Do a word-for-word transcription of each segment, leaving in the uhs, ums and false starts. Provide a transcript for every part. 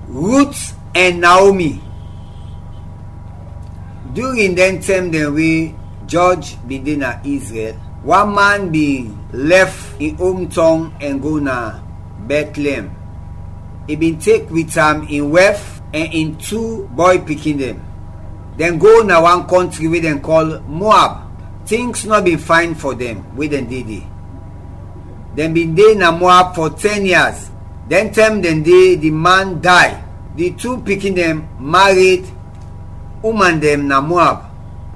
Rut ɛn Naomi. During dɛn tɛm dɛn we Jɔj bin de na Izrɛl, wan man bin lɛf in omtɔng ɛn go na Bɛtleɛm. I bin tek wit am in wɛf ɛn in tu bɔy pikin dɛn. Dɛn go na wan kɔntri we dɛn kɔl Moab. Tings nɔ bin fayn fɔ dɛn we dɛn de de. Dɛn bin de na Moab fɔ tɛn yas. Dɛn tɛm dɛn de, di man day. Di tu pikin dɛn mared uman dɛn na Moab,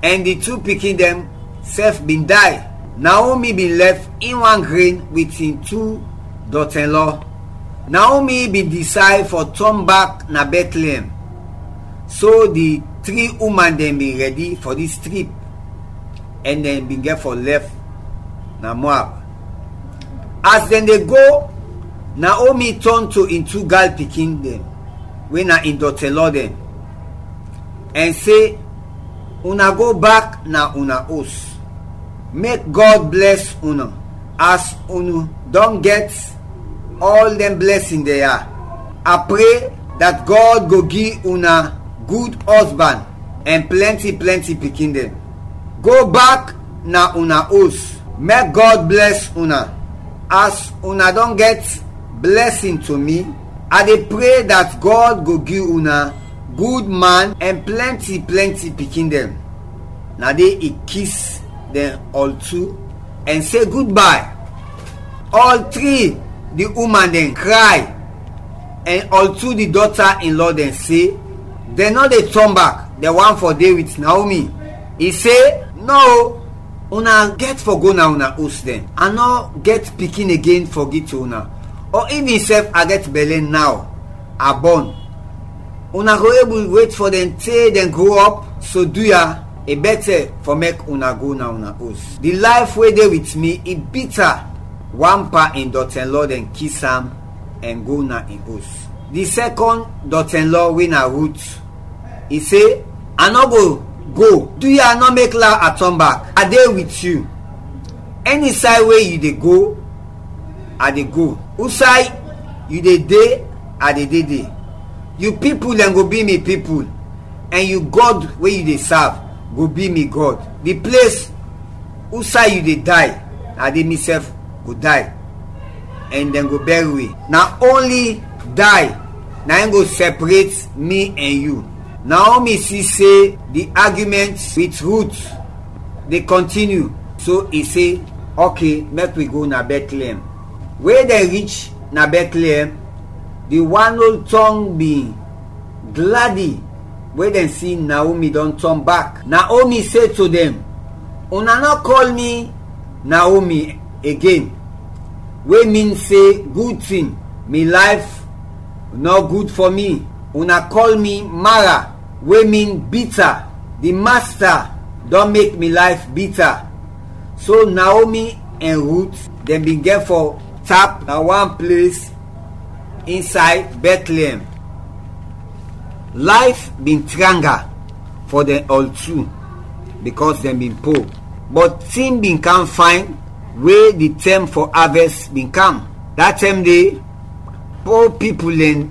ɛn di tu pikin dɛn sɛf bin day. Naomi bin lɛf in wan gren wit in tu dɔtɛnlɔ. Naomi bin disayd fɔ tɔn bak na Bɛtleɛm. So di tri uman dɛn bin rɛdi fɔ dis trip, ɛn dɛn bin gɛt fɔ lɛf na Moab. As dɛn de go, Naomi tɔn to in tu gal pikin dɛn, we na in dɔtɛnlɔ dɛn, ɛn se, "Una go bak na una os. Mek Gɔd blɛs una as unu dɔn gɛt ɔl dɛn blɛsin dɛn ya. A pre dat Gɔd go gi una gud ɔsban ɛn plɛnti plɛnti pikin dɛn. Go bak na una os, mek Gɔd blɛs una. As una dɔn gɛt blɛsin to mi, a de pre dat Gɔd go gi una gud man ɛn plɛnti plɛnti pikin dɛn." Na de i kis dɛn ɔl tu ɛn se gudbay. Ɔl tri di uman dɛn kray, ɛn ɔltu di dɔta-in-lɔ dɛn se dɛn nɔ de tɔn bak, dɛn want fɔ de wit Naomi. I se, "Nɔ, una gɛt fɔ go na una os dɛn. A nɔ gɛt pikin igen fɔ gi to una, ɔ ivin sɛf a gɛt bɛlɛ naw, a bɔn. Una go ebul wet fɔ dɛn te dɛn gro ɔp, so duya, i bɛtɛ fɔ mek una go na una os. Di layf we de wit mi, i bita." Wan pan in dɔtɛnlɔ dɛn kis am ɛn go na in os. Di sɛkɔn dɔtɛnlɔ, we na Rut, i se, "A nɔ go go. Duya, nɔ mek law a tɔn bak. A de wit yu. Ɛni say we yu de go, a de go. Usay yu de de, a de de de. Yu pipul dɛn go bi mi pipul, ɛn yu Gɔd we yu de sav go bi mi Gɔd. Di ples usay yu de day, na de misɛf go day, ɛn dɛn go bɛr wi. Na onli day na in go sɛpret mi ɛn yu." Naomi si se di argument wit Rut de kɔntiniu, so i se, "Oke, mek wi go na Bɛtleɛm." We dɛn rich na Bɛtleɛm, di wan ol tɔng bin gladi we dɛn si Naomi dɔn tɔn bak. Naomi se to dɛn, "Una nɔ kɔl mi Naomi igen, we min se gud tin, mi layf nɔ gud fɔ mi. Una kɔl mi Mara, we min bita. Di Masta dɔn mek mi layf bita." So Naomi ɛn Rut dɛn bin gɛt fɔ tap na wan ples insay Bɛtleɛm. Layf bin tranga fɔ dɛn ɔltu, bikɔs dɛn bin po. Bɔt tin bin kam fayn we di tɛm fɔ avɛst bin kam. Da tɛm de, po pipul dɛn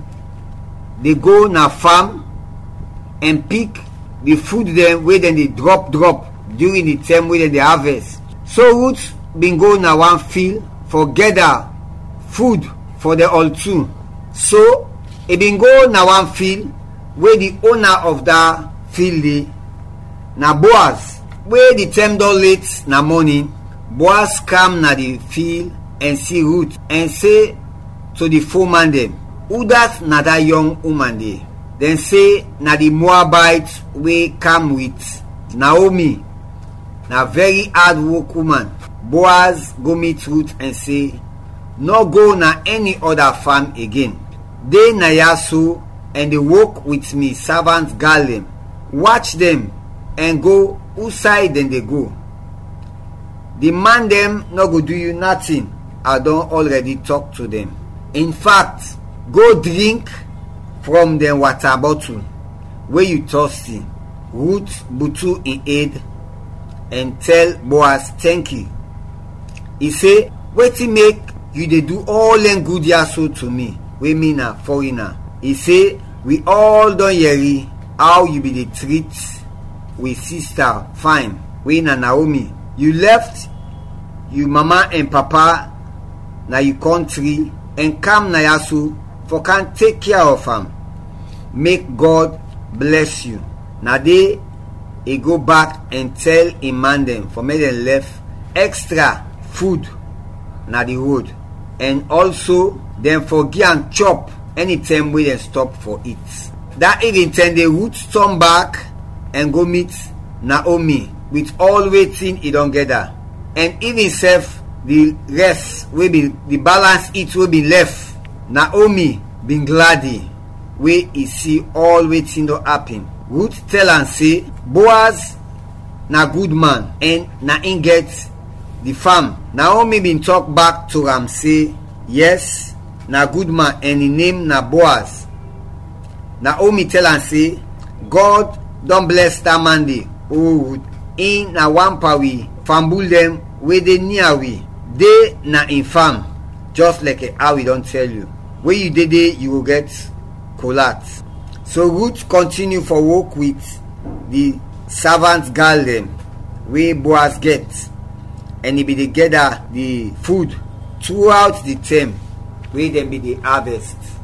de go na fam ɛn pik di fud dɛn we dɛn de drɔp drɔp during di tɛm we dɛn de avɛst. So Rut bin go na wan fil fɔ gɛda fud fɔ dɛn ɔltu. So i bin go na wan fil we di ona of da fil de, na Boaz. We di tɛm dɔn let na mɔnin, Boaz kam na di fil ɛn si Rut ɛn se to di fo man dɛn, "Udat na da yɔng uman de?" Dɛn se, "Na di Moabayt we kam wit Naomi, na vɛri ad wok uman." Boaz go mit Rut ɛn se, "Nɔ go na ɛni ɔda fam igen. De na ya so ɛn de wok wit mi savant gal dɛn. Wach dɛn ɛn go usay dɛn de go. Di man dɛn nɔ go du yu natin, a dɔn ɔlrɛdi tɔk to dɛn. In fact, go drink from dɛn wata bɔtul we yu tɔsti." Rut butu in ed ɛn tɛl Boaz tɛnki. I se, "Wetin mek yu de du ɔl dɛn gud ya so to mi, we mi na fɔrina?" I se, Wi ɔl dɔn yɛri aw yu bin de trit wi sista fayn, we na Naomi. Yu lɛf yu mama ɛn papa, na yu kɔntri, ɛn kam na ya so fɔ kam tek kea of am. Mek Gɔd blɛs yu. Na de i go bak ɛn tɛl in man dɛn fɔ mek dɛn lɛf extra fud na di rod, ɛn ɔlso dɛn fɔ gi am chɔp ɛnitɛm we dɛn stɔp fɔ it. Da ivintɛm de Rut tɔn bak ɛn go mit Naomi wit ɔl wetin i dɔn gɛda, ɛn ivin sɛf di rɛs we bin di balans it we bin lɛf. Naomi bin gladi we i si ɔl wetin dɔn apin. Rut tɛl am se, Boaz na gud man ɛn na in gɛt di fam. Naomi bin tɔk bak to am se, Yɛs, na gud man ɛn in nem na Boaz. Naomi tɛl am se, Gɔd dɔn blɛs da man de, o Rut, in na wan pan wi fambul dɛn we de nia wi, de na in fam, jɛs lɛkɛ aw i dɔn tɛl yu. We yu de de, yu go gɛt kolat. So Rut kɔntiniu fɔ wok wit di savant gal dɛn we Boaz gɛt, ɛn i bin de gɛda di fud truawt di tɛm we dɛn bin de avɛst.